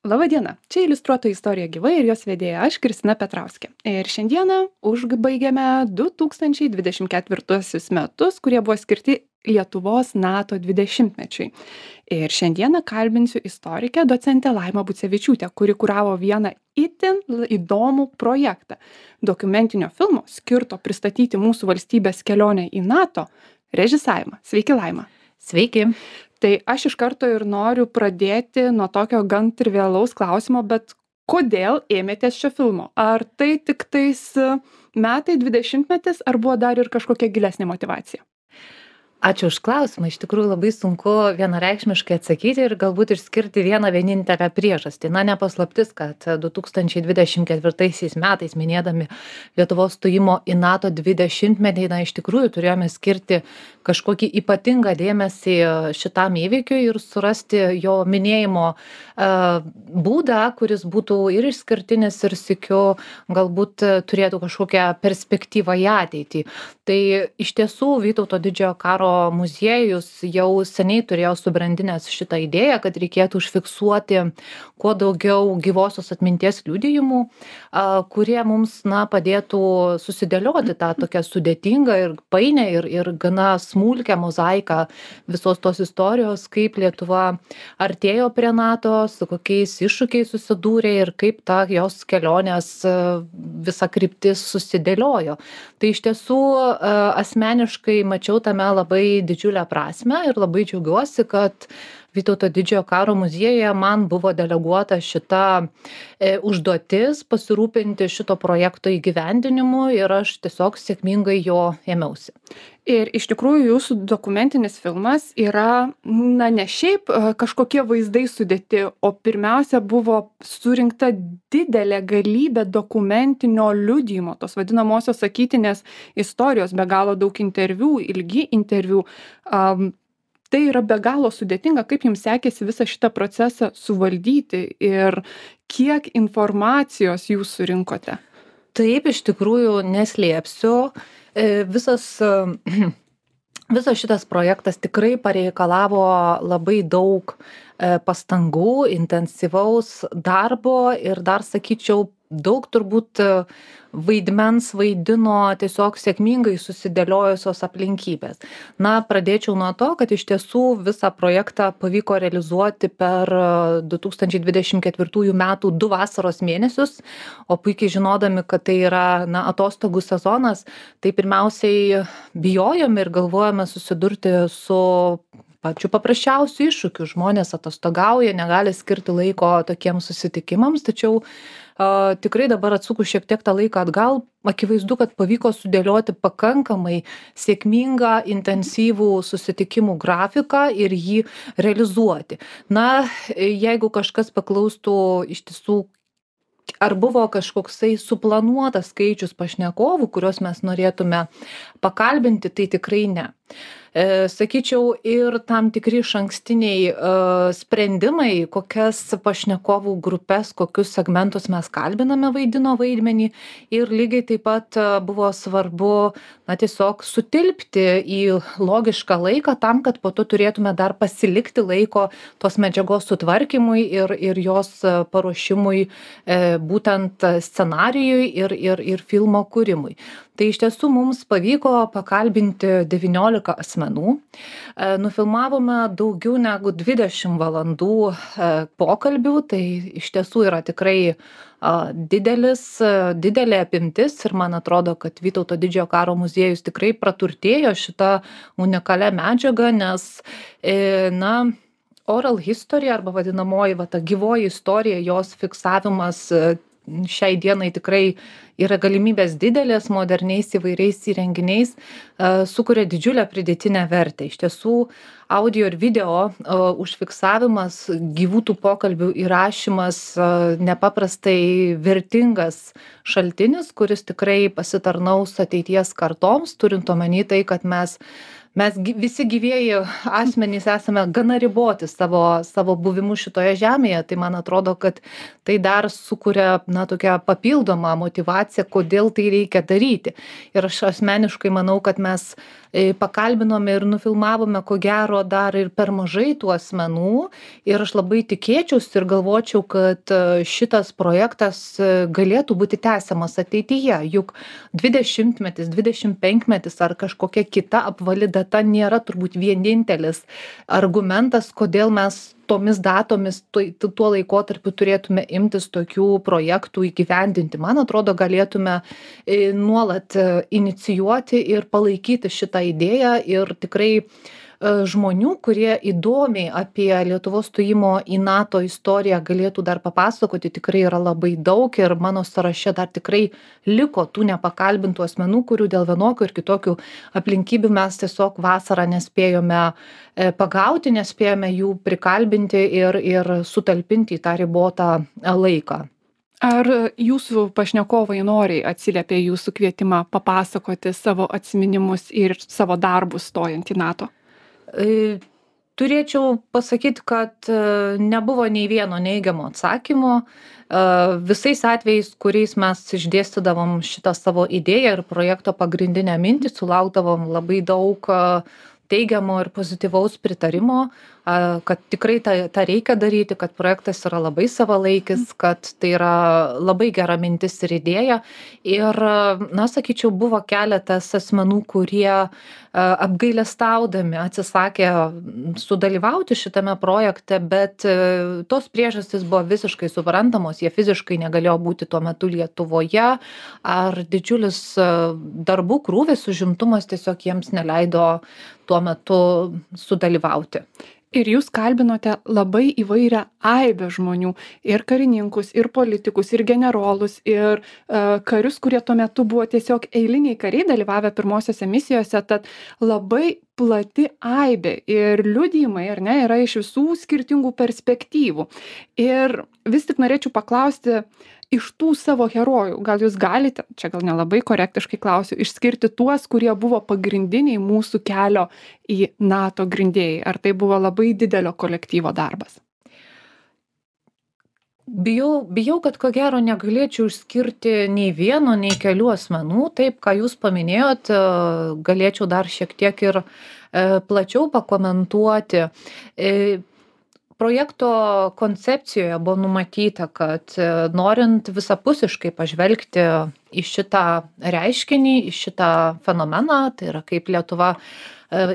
Labadiena, čia iliustruota istorija gyvai ir jos vedėja aš, Kristina Petrauskė. Ir šiandieną užbaigiame 2024 metus, kurie buvo skirti Lietuvos NATO 20-mečiui. Ir šiandieną kalbinsiu istorikę docentę Laimą Bucevičiūtę, kuri kuravo vieną itin įdomų projektą dokumentinio filmo skirto pristatyti mūsų valstybės kelionę į NATO režisavimą. Sveiki, Laima. Sveiki. Tai aš iš karto ir noriu pradėti nuo tokio gan trivialaus klausimo, bet kodėl ėmėtės šio filmo? Ar tai tik tais metai 20-metis, ar buvo dar ir kažkokia gilesnė motyvacija? Ačiū už klausimą. Iš tikrųjų labai sunku vienareikšmiškai atsakyti ir galbūt išskirti vieną vienintelę priežastį. Na, nepaslaptis, kad 2024 metais minėdami Lietuvos stojimo į NATO 20-metį, iš tikrųjų turėjome skirti kažkokį ypatingą dėmesį šitam įvykiui ir surasti jo minėjimo būdą, kuris būtų ir išskirtinis ir sykiu galbūt turėtų kažkokią perspektyvą į ateitį. Tai iš tiesų Vytauto didžiojo karo muziejus jau seniai turėjo subrandinęs šitą idėją, kad reikėtų užfiksuoti kuo daugiau gyvosios atminties liudijimų, kurie mums padėtų susidėlioti tą tokią sudėtingą ir painę ir gana smulkią mozaiką visos tos istorijos, kaip Lietuva artėjo prie NATO, su kokiais iššūkiais susidūrė ir kaip ta jos kelionės visa kryptis susidėliojo. Tai iš tiesų asmeniškai mačiau tame labai didžiulę prasmę ir labai džiaugiuosi, kad Vytauto didžiojo karo muziejuje man buvo deleguota šita užduotis pasirūpinti šito projekto įgyvendinimu ir aš tiesiog sėkmingai jo ėmiausi. Ir iš tikrųjų jūsų dokumentinis filmas yra, ne šiaip kažkokie vaizdai sudėti, o pirmiausia buvo surinkta didelė galybė dokumentinio liudijimo, tos vadinamosios sakytinės istorijos, be galo daug interviu, ilgi interviu. Tai yra be galo sudėtinga, kaip jums sekėsi visą šitą procesą suvaldyti ir kiek informacijos jūs surinkote? Taip, iš tikrųjų neslėpsiu. Visas šitas projektas tikrai pareikalavo labai daug pastangų, intensyvaus darbo ir dar sakyčiau, daug turbūt vaidmens vaidino tiesiog sėkmingai susidėliojusios aplinkybės. Na, pradėčiau nuo to, kad iš tiesų visą projektą pavyko realizuoti per 2024 metų 2 vasaros mėnesius, o puikiai žinodami, kad tai yra atostogų sezonas, tai pirmiausiai bijojome ir galvojame susidurti su pačiu paprasčiausiu iššūkiu. Žmonės atostogauja, negali skirti laiko tokiems susitikimams, tačiau tikrai dabar atsukus šiek tiek tą laiką atgal, akivaizdu, kad pavyko sudėlioti pakankamai sėkmingą, intensyvų susitikimų grafiką ir jį realizuoti. Na, jeigu kažkas paklaustų iš tiesų, ar buvo kažkoksai suplanuotas skaičius pašnekovų, kuriuos mes norėtume pakalbinti, tai tikrai ne. Sakyčiau, ir tam tikri išankstiniai sprendimai, kokias pašnekovų grupės, kokius segmentus mes kalbiname vaidino vaidmenį ir lygiai taip pat buvo svarbu tiesiog sutilpti į logišką laiką tam, kad po to turėtume dar pasilikti laiko tos medžiagos sutvarkymui ir jos paruošimui būtent scenarijui ir filmo kūrimui. Tai iš tiesų mums pavyko pakalbinti 19 asmenų. Nufilmavome daugiau negu 20 valandų pokalbių, tai iš tiesų yra tikrai didelė apimtis ir man atrodo, kad Vytauto didžiojo karo muziejus tikrai praturtėjo šitą unikalią medžiagą, nes oral history arba vadinamoji ta gyvoji istorija, jos fiksavimas šiai dienai tikrai yra galimybės didelės, moderniais įvairiais įrenginiais, sukuria didžiulę pridėtinę vertę. Iš tiesų, audio ir video užfiksavimas, gyvų tų pokalbių įrašymas nepaprastai vertingas šaltinis, kuris tikrai pasitarnaus ateities kartoms, turint omeny tai, kad mes visi gyvieji asmenys esame gana riboti savo buvimu šitoje žemėje, tai man atrodo, kad tai dar sukuria tokią papildomą motyvaciją, kodėl tai reikia daryti. Ir aš asmeniškai manau, kad mes pakalbinome ir nufilmavome ko gero dar ir per mažai tų asmenų ir aš labai tikėčiausi ir galvočiau, kad šitas projektas galėtų būti tęsiamas ateityje, juk 20-metis, 25-metis ar kažkokia kita apvali data nėra turbūt vienintelis argumentas, kodėl mes tomis datomis tuo laikotarpiu turėtume imtis tokių projektų įgyvendinti. Man atrodo, galėtume nuolat inicijuoti ir palaikyti šitą idėją ir tikrai žmonių, kurie įdomiai apie Lietuvos stojimo į NATO istoriją galėtų dar papasakoti, tikrai yra labai daug ir mano sąraše dar tikrai liko tų nepakalbintų asmenų, kurių dėl vienokių ir kitokių aplinkybių mes tiesiog vasarą nespėjome pagauti, nespėjome jų prikalbinti ir sutalpinti į tą ribotą laiką. Ar jūsų pašnekovai noriai atsiliepė jūsų kvietimą papasakoti savo atsiminimus ir savo darbus stojant į NATO? Turėčiau pasakyti, kad nebuvo nei vieno neigiamo atsakymo. Visais atvejais, kuriais mes išdėstydavom šitą savo idėją ir projekto pagrindinę mintį, sulaukdavom labai daug teigiamo ir pozityvaus pritarimo, kad tikrai tą reikia daryti, kad projektas yra labai savalaikis, kad tai yra labai gera mintis ir idėja. Ir, sakyčiau, buvo keletas asmenų, kurie apgailestaudami atsisakė sudalyvauti šitame projekte, bet tos priežastys buvo visiškai suprantamos, jie fiziškai negalėjo būti tuo metu Lietuvoje, ar didžiulis darbų krūvis, užimtumas tiesiog jiems neleido tuo metu sudalyvauti. Ir jūs kalbinote labai įvairią aibę žmonių, ir karininkus, ir politikus, ir generolus, ir karius, kurie tuo metu buvo tiesiog eiliniai kariai dalyvavę pirmosiose misijose, tad labai plati aibė ir liudijimai, ar ne, yra iš visų skirtingų perspektyvų. Ir vis tik norėčiau paklausti, iš tų savo herojų, gal jūs galite, čia gal nelabai korektiškai klausiu, išskirti tuos, kurie buvo pagrindiniai mūsų kelio į NATO grindėjai? Ar tai buvo labai didelio kolektyvo darbas? Bijau, kad ko gero negalėčiau išskirti nei vieno, nei kelių asmenų. Taip, ką jūs paminėjot, galėčiau dar šiek tiek ir plačiau pakomentuoti. Projekto koncepcijoje buvo numatyta, kad norint visapusiškai pažvelgti į šitą reiškinį, į šitą fenomeną, tai yra kaip Lietuva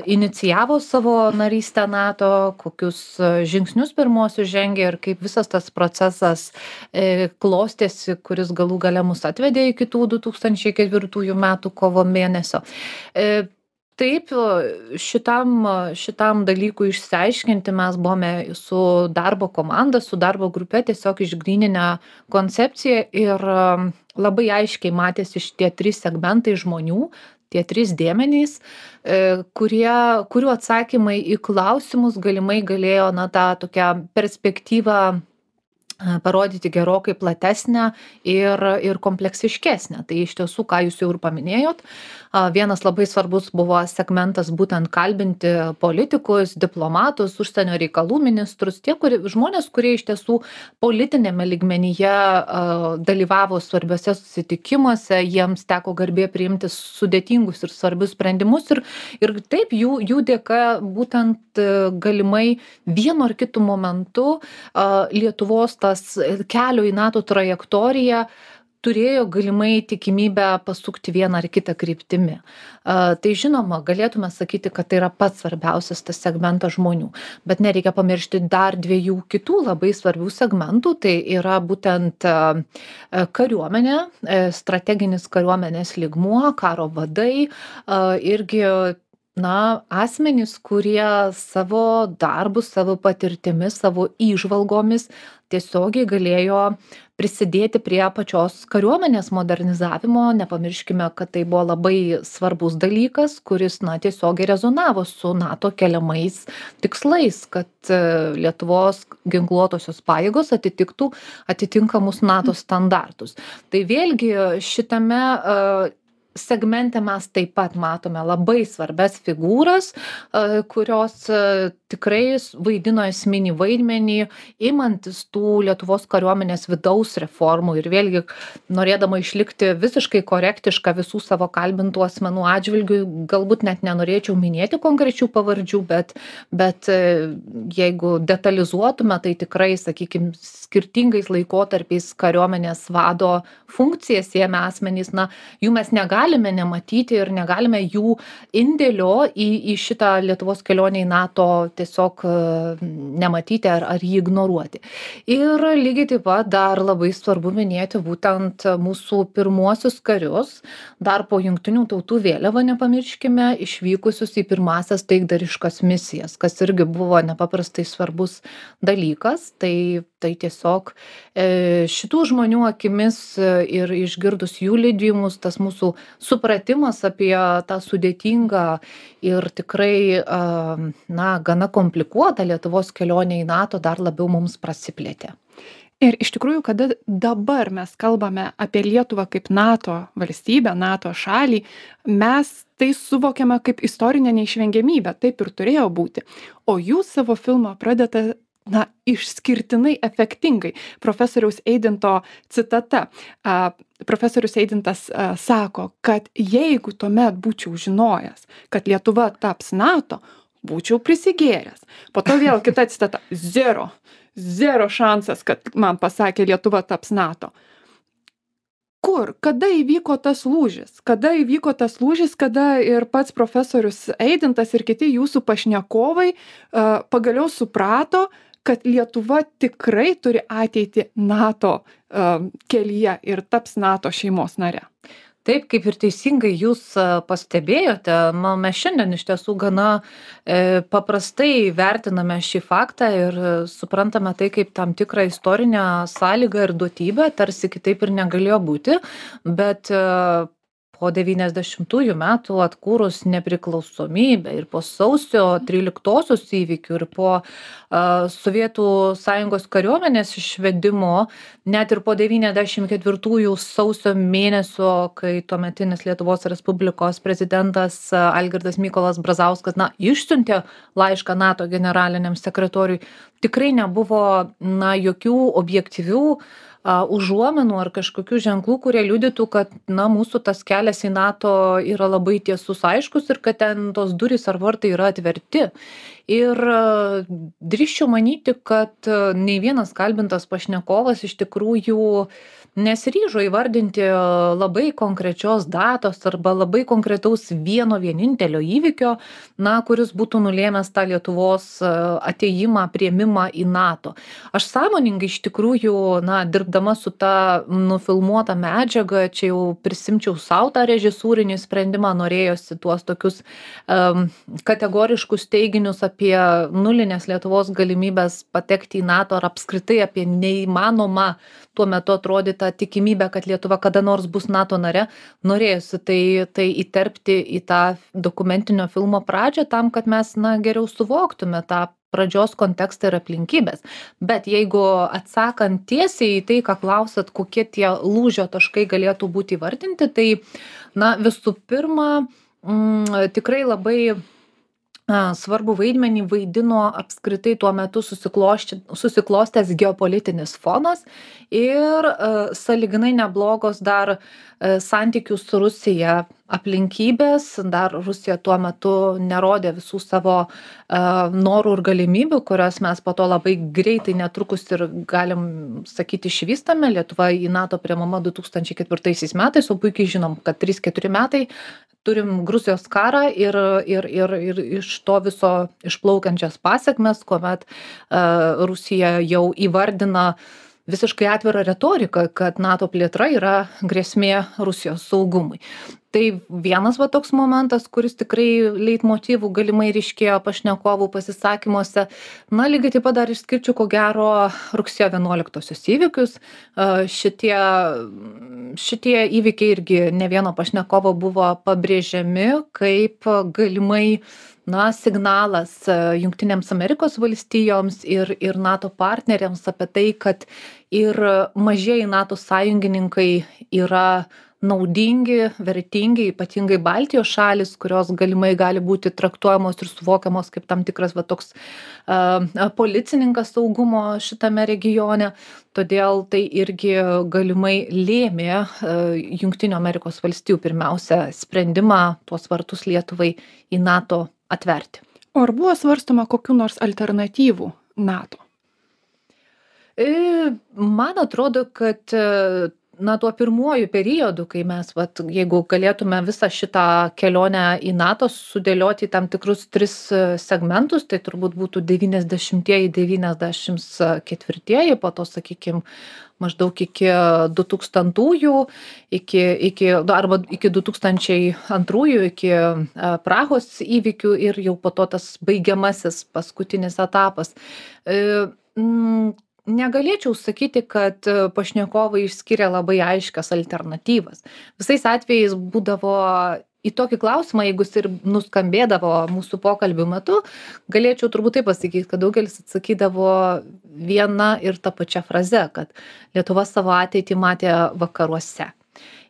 inicijavo savo narystę NATO, kokius žingsnius pirmosius žengė ir kaip visas tas procesas klostėsi, kuris galų gale mus atvedė iki tų 2004 metų kovo mėnesio. Taip, šitam dalykui išsiaiškinti mes buvome su darbo komanda, su darbo grupe tiesiog išgryninę koncepciją ir labai aiškiai matėsi šitie 3 segmentai žmonių, tie 3 dėmenys, kurių atsakymai į klausimus galimai galėjo tą tokią perspektyvą parodyti gerokai platesnę ir kompleksiškesnę. Tai iš tiesų, ką jūs jau ir paminėjot, vienas labai svarbus buvo segmentas būtent kalbinti politikus, diplomatus, užsienio reikalų ministrus, žmonės, kurie iš tiesų politinėme lygmenyje dalyvavo svarbiuose susitikimuose, jiems teko garbė priimti sudėtingus ir svarbius sprendimus ir taip jų dėka būtent galimai vienu ar kitu momentu Lietuvos tas kelio į NATO trajektoriją turėjo galimai tikimybę pasukti vieną ar kitą kryptimi. Tai žinoma, galėtume sakyti, kad tai yra pats svarbiausias tas segmentas žmonių, bet nereikia pamiršti dar 2 kitų labai svarbių segmentų, tai yra būtent kariuomenė, strateginis kariuomenės lygmuo, karo vadai, irgi asmenys, kurie savo darbus, savo patirtimis, savo įžvalgomis tiesiogiai galėjo prisidėti prie pačios kariuomenės modernizavimo. Nepamirškime, kad tai buvo labai svarbus dalykas, kuris tiesiogiai rezonavo su NATO keliamais tikslais, kad Lietuvos ginkluotosios pajėgos atitinkamus NATO standartus. Tai vėlgi šitame segmente mes taip pat matome labai svarbias figūras, kurios tikrai vaidino esminį vaidmenį, imantis tų Lietuvos kariuomenės vidaus reformų ir vėlgi norėdama išlikti visiškai korektiška visų savo kalbintų asmenų atžvilgių, galbūt net nenorėčiau minėti konkrečių pavardžių, bet jeigu detalizuotume, tai tikrai, sakykime, skirtingais laikotarpiais kariuomenės vado funkcijas ėmė asmenys, na, jų mes negalime nematyti ir negalime jų indėlio į šitą Lietuvos kelionę į NATO tiesiog nematyti ar jį ignoruoti. Ir lygiai taip pat dar labai svarbu minėti būtent mūsų pirmuosius karius, dar po Jungtinių tautų vėliava nepamirškime, išvykusius į pirmąsias taikdariškas misijas, kas irgi buvo nepaprastai svarbus dalykas. Tai tiesiog šitų žmonių akimis ir išgirdus jų liudijimus, tas mūsų supratimas apie tą sudėtingą ir tikrai, na, gana komplikuotą Lietuvos kelionę į NATO dar labiau mums prasiplėtė. Ir iš tikrųjų, kada dabar mes kalbame apie Lietuvą kaip NATO valstybę, NATO šalį, mes tai suvokiame kaip istorinę neišvengiamybę, taip ir turėjo būti. O jūs savo filmą pradedate išskirtinai efektingai. Profesoriaus Eidinto citata. Profesorius Eidintas sako, kad jeigu tuomet būčiau žinojęs, kad Lietuva taps NATO, būčiau prisigėręs. Po to vėl kita citata. Zero šansas, kad man pasakė Lietuva taps NATO. Kur? Kada įvyko tas lūžis? Kada ir pats profesorius Eidintas ir kiti jūsų pašnekovai pagaliau suprato, kad Lietuva tikrai turi ateitį NATO kelyje ir taps NATO šeimos nare? Taip, kaip ir teisingai jūs pastebėjote, mes šiandien iš tiesų gana paprastai vertiname šį faktą ir suprantame tai kaip tam tikrą istorinę sąlygą ir duotybę, tarsi kitaip ir negalėjo būti, bet po 90-ųjų metų atkūrus nepriklausomybę ir po sausio 13-osios įvykių ir po Sovietų Sąjungos kariuomenės išvedimo, net ir po 94-ųjų sausio mėnesio, kai tuometinis Lietuvos Respublikos prezidentas Algirdas Mykolas Brazauskas išsiuntė laišką NATO generaliniam sekretoriui, tikrai nebuvo jokių objektyvių užuomenų ar kažkokių ženklų, kurie liudytų, kad mūsų tas kelias į NATO yra labai tiesus, aiškus ir kad ten tos durys ar vartai yra atverti. Ir drįsčiau manyti, kad nei vienas kalbintas pašnekovas iš tikrųjų nesiryžo įvardinti labai konkrečios datos arba labai konkretaus vieno vienintelio įvykio, kuris būtų nulėmęs tą Lietuvos atėjimą, priėmimą į NATO. Aš sąmoningai iš tikrųjų, dirbdama su ta nufilmuota medžiaga, čia jau prisimčiau savo tą režisūrinį sprendimą, norėjosi tuos tokius kategoriškus teiginius apie nulinės Lietuvos galimybės patekti į NATO ar apskritai apie neįmanomą tuo metu atrodytą tikimybę, kad Lietuva kada nors bus NATO nare, norėjusi tai įterpti į tą dokumentinio filmo pradžią tam, kad mes geriau suvoktume tą pradžios kontekstą ir aplinkybės. Bet jeigu atsakant tiesiai į tai, ką klausat, kokie tie lūžio taškai galėtų būti įvardinti, tai visų pirma, tikrai labai svarbu vaidmenį vaidino apskritai tuo metu susiklostęs geopolitinis fonas ir sąlyginai neblogos dar santykių su Rusija aplinkybės. Dar Rusija tuo metu nerodė visų savo norų ir galimybių, kurias mes po to labai greitai netrukus ir galim sakyti išvystame. Lietuva į NATO priimama 2004 metais, o puikiai žinom, kad 3-4 metai turim Gruzijos karą ir iš to viso išplaukiančias pasekmes, kuomet Rusija jau įvardina visiškai atvirą retoriką, kad NATO plėtra yra grėsmė Rusijos saugumui. Tai vienas toks momentas, kuris tikrai leitmotyvų galimai ryškėjo pašnekovų pasisakymuose. Lygiai taip pat dar išskirčiau ko gero rugsėjo 11-osios įvykius. Šitie įvykiai irgi ne vieno pašnekovo buvo pabrėžiami kaip galimai signalas Jungtinėms Amerikos valstijoms ir NATO partneriams apie tai, kad ir mažieji NATO sąjungininkai yra naudingi, vertingi, ypatingai Baltijos šalis, kurios galimai gali būti traktuojamos ir suvokiamos kaip tam tikras toks policininkas saugumo šitame regione. Todėl tai irgi galimai lėmė Jungtinių Amerikos valstijų pirmiausia sprendimą tuos vartus Lietuvai į NATO atverti. O ar buvo svarstoma kokių nors alternatyvų NATO? Man atrodo, kad tuo pirmuoju periodu, kai mes, jeigu galėtume visą šitą kelionę į NATO sudėlioti į tam tikrus 3 segmentus, tai turbūt būtų 90-ieji, 94-ieji, po to, sakykime, maždaug iki 2000-ųjų, arba iki 2002-ųjų, iki Prahos įvykių ir jau po to tas baigiamasis paskutinis etapas. Negalėčiau sakyti, kad pašnekovai išskiria labai aiškias alternatyvas. Visais atvejais būdavo į tokį klausimą, jeigu jis ir nuskambėdavo mūsų pokalbių metu, galėčiau turbūt taip pasakyti, kad daugelis atsakydavo viena ir tą pačią frazę, kad Lietuva savo ateitį matė vakaruose.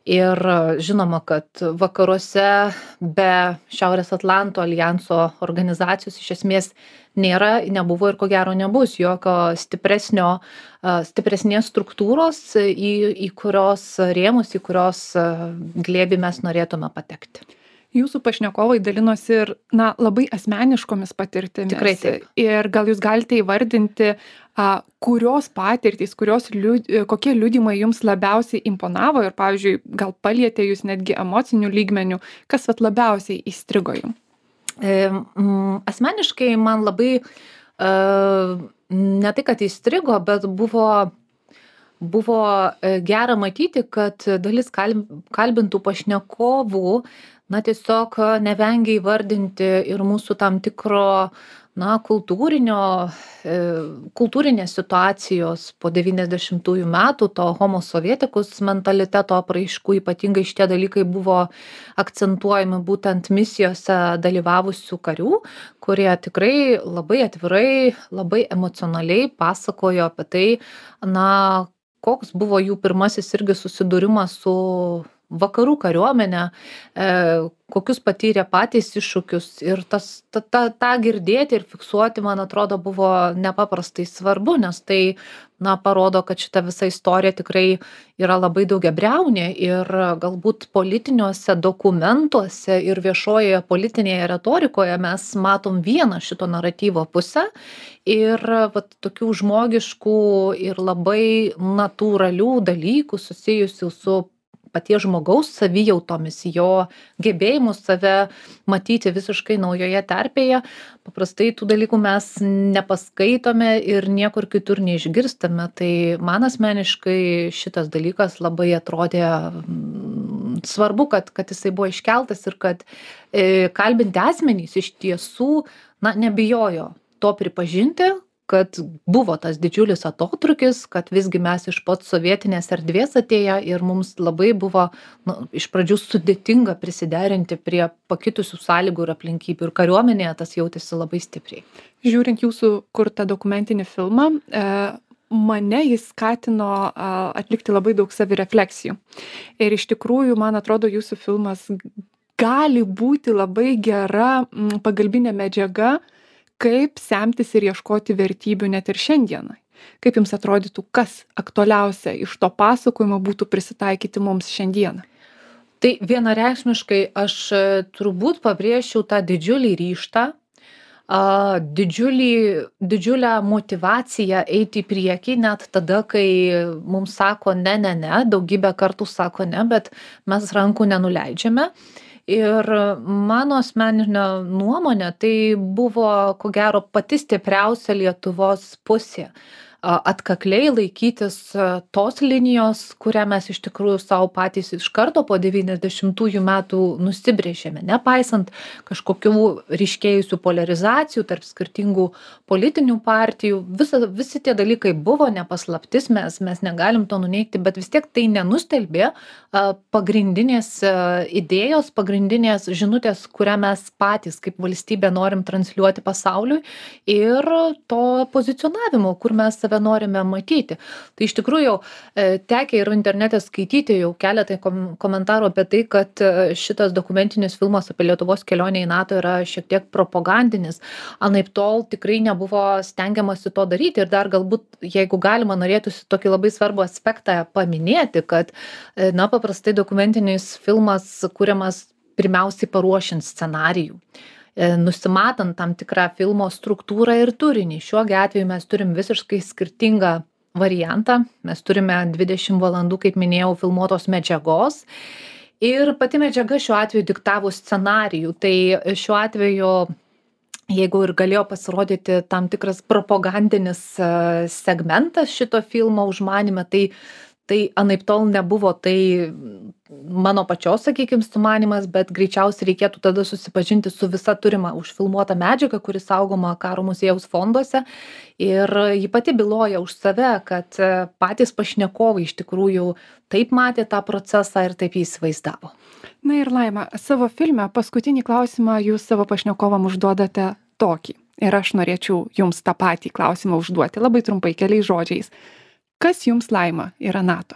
Ir žinoma, kad vakaruose be Šiaurės Atlanto alijanso organizacijos iš esmės nebuvo ir ko gero nebus jokio stipresnės struktūros, į kurios rėmus, į kurios glėbį mes norėtume patekti. Jūsų pašnekovai dalinosi ir labai asmeniškomis patirtimis. Tikrai taip. Ir gal jūs galite įvardinti, kurios patirtys, kokie liudijimai jums labiausiai imponavo ir, pavyzdžiui, gal palietė jūs netgi emocinių lygmenių, kas labiausiai įstrigo jums? Asmeniškai man labai ne tai, kad įstrigo, bet buvo gera matyti, kad dalis kalbintų pašnekovų tiesiog nevengia įvardinti ir mūsų tam tikro kultūrinės situacijos po 90-ųjų metų, to homo sovietikus mentaliteto apraiškų, ypatingai šitie dalykai buvo akcentuojami būtent misijose dalyvavusių karių, kurie tikrai labai atvirai, labai emocionaliai pasakojo apie tai, koks buvo jų pirmasis irgi susidūrimas su vakarų kariuomenė, kokius patyrė patys iššūkius ir tą girdėti ir fiksuoti, man atrodo, buvo nepaprastai svarbu, nes tai parodo, kad šita visa istorija tikrai yra labai daugiabriaunė ir galbūt politiniuose dokumentuose ir viešojoje politinėje retorikoje mes matom vieną šito naratyvo pusę ir tokių žmogiškų ir labai natūralių dalykų susijusių su paties žmogaus savijautomis, jo gebėjimus save matyti visiškai naujoje terpėje. Paprastai tų dalykų mes nepaskaitome ir niekur kitur neišgirstame. Tai man asmeniškai šitas dalykas labai atrodė svarbu, kad jisai buvo iškeltas ir kad kalbinti asmenys iš tiesų nebijojo to pripažinti, kad buvo tas didžiulis atotrūkis, kad visgi mes iš pat sovietinės erdvės atėję ir mums labai buvo iš pradžių sudėtinga prisiderinti prie pakitusių sąlygų ir aplinkybių ir kariuomenėje tas jautėsi labai stipriai. Žiūrint jūsų kurtą dokumentinį filmą, mane jis skatino atlikti labai daug savirefleksijų. Ir iš tikrųjų, man atrodo, jūsų filmas gali būti labai gera pagalbinė medžiaga, kaip semtis ir ieškoti vertybių net ir šiandienai. Kaip jums atrodytų, kas aktualiausia iš to pasakojimo būtų prisitaikyti mums šiandieną? Tai vienareikšmiškai aš turbūt pabrėžčiau tą didžiulį ryžtą, didžiulę motyvaciją eiti į priekį, net tada, kai mums sako ne, daugybę kartų sako ne, bet mes rankų nenuleidžiame. Ir mano asmeninė nuomonė, tai buvo, ko gero, pati stipriausia Lietuvos pusė. Atkakliai laikytis tos linijos, kurią mes iš tikrųjų savo patys iš karto po 90-ųjų metų nusibrėžėme, nepaisant kažkokių ryškėjusių polarizacijų tarp skirtingų politinių partijų. Visi tie dalykai buvo nepaslaptis, mes negalim to nuneigti, bet vis tiek tai nenustelbė pagrindinės idėjos, pagrindinės žinutės, kurią mes patys kaip valstybė norim transliuoti pasauliui ir to pozicionavimo, kur mes save save norime matyti. Tai iš tikrųjų tekę ir internete skaityti jau keletą komentarų apie tai, kad šitas dokumentinis filmas apie Lietuvos kelionę į NATO yra šiek tiek propagandinis. Anaiptol tikrai nebuvo stengiamasi to daryti ir dar galbūt, jeigu galima, norėtųsi tokį labai svarbų aspektą paminėti, kad paprastai dokumentinis filmas kuriamas pirmiausiai paruošiant scenarijų, nusimatant tam tikrą filmo struktūrą ir turinį. Šiuo atveju mes turim visiškai skirtingą variantą. Mes turime 20 valandų, kaip minėjau, filmuotos medžiagos. Ir pati medžiaga šiuo atveju diktavo scenarijų. Tai šiuo atveju, jeigu ir galėjo pasirodyti tam tikras propagandinis segmentas šito filmo užmanyme, tai anaiptol nebuvo tai mano pačios, sakykime, sumanymas, bet greičiausiai reikėtų tada susipažinti su visa turima užfilmuota medžiaga, kuri saugoma Karo muziejaus fonduose. Ir ji pati byloja už save, kad patys pašnekovai iš tikrųjų taip matė tą procesą ir taip jį įsivaizdavo. Na ir Laima, savo filme paskutinį klausimą jūs savo pašnekovam užduodate tokį. Ir aš norėčiau jums tą patį klausimą užduoti, labai trumpai, keliais žodžiais. Kas jums, Laima, yra NATO?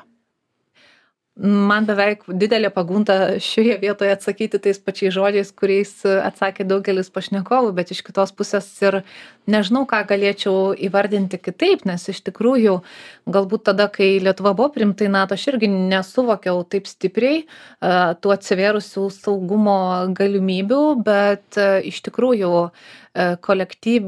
Man beveik didelė pagunda šioje vietoje atsakyti tais pačiais žodžiais, kuriais atsakė daugelis pašnekovų, bet iš kitos pusės ir nežinau, ką galėčiau įvardinti kitaip, nes iš tikrųjų galbūt tada, kai Lietuva buvo priimta į NATO, aš irgi nesuvokiau taip stipriai tų atsivėrusių saugumo galimybių, bet iš tikrųjų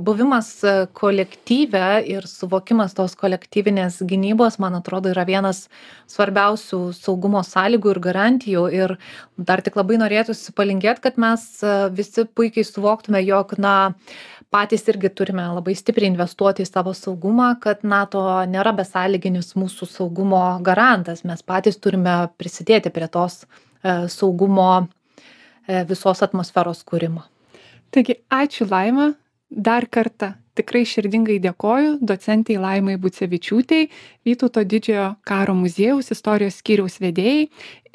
buvimas kolektyve ir suvokimas tos kolektyvinės gynybos, man atrodo, yra vienas svarbiausių saugumo sąlygų ir garantijų. Ir dar tik labai norėtųsi palinkėti, kad mes visi puikiai suvoktume, jog patys irgi turime labai stipriai investuoti į savo saugumą, kad NATO nėra besąlyginis mūsų saugumo garantas. Mes patys turime prisidėti prie tos saugumo visos atmosferos kūrimo. Taigi, ačiū Laima, dar kartą tikrai širdingai dėkoju docentei Laimai Bucevičiūtei, Vytauto didžiojo karo muziejaus istorijos skyriaus vedėjai,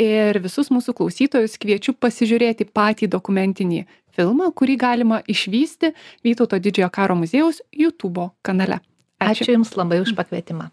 ir visus mūsų klausytojus kviečiu pasižiūrėti patį dokumentinį filmą, kurį galima išvysti Vytauto didžiojo karo muziejaus YouTube kanale. Ačiū Jums labai už pakvietimą.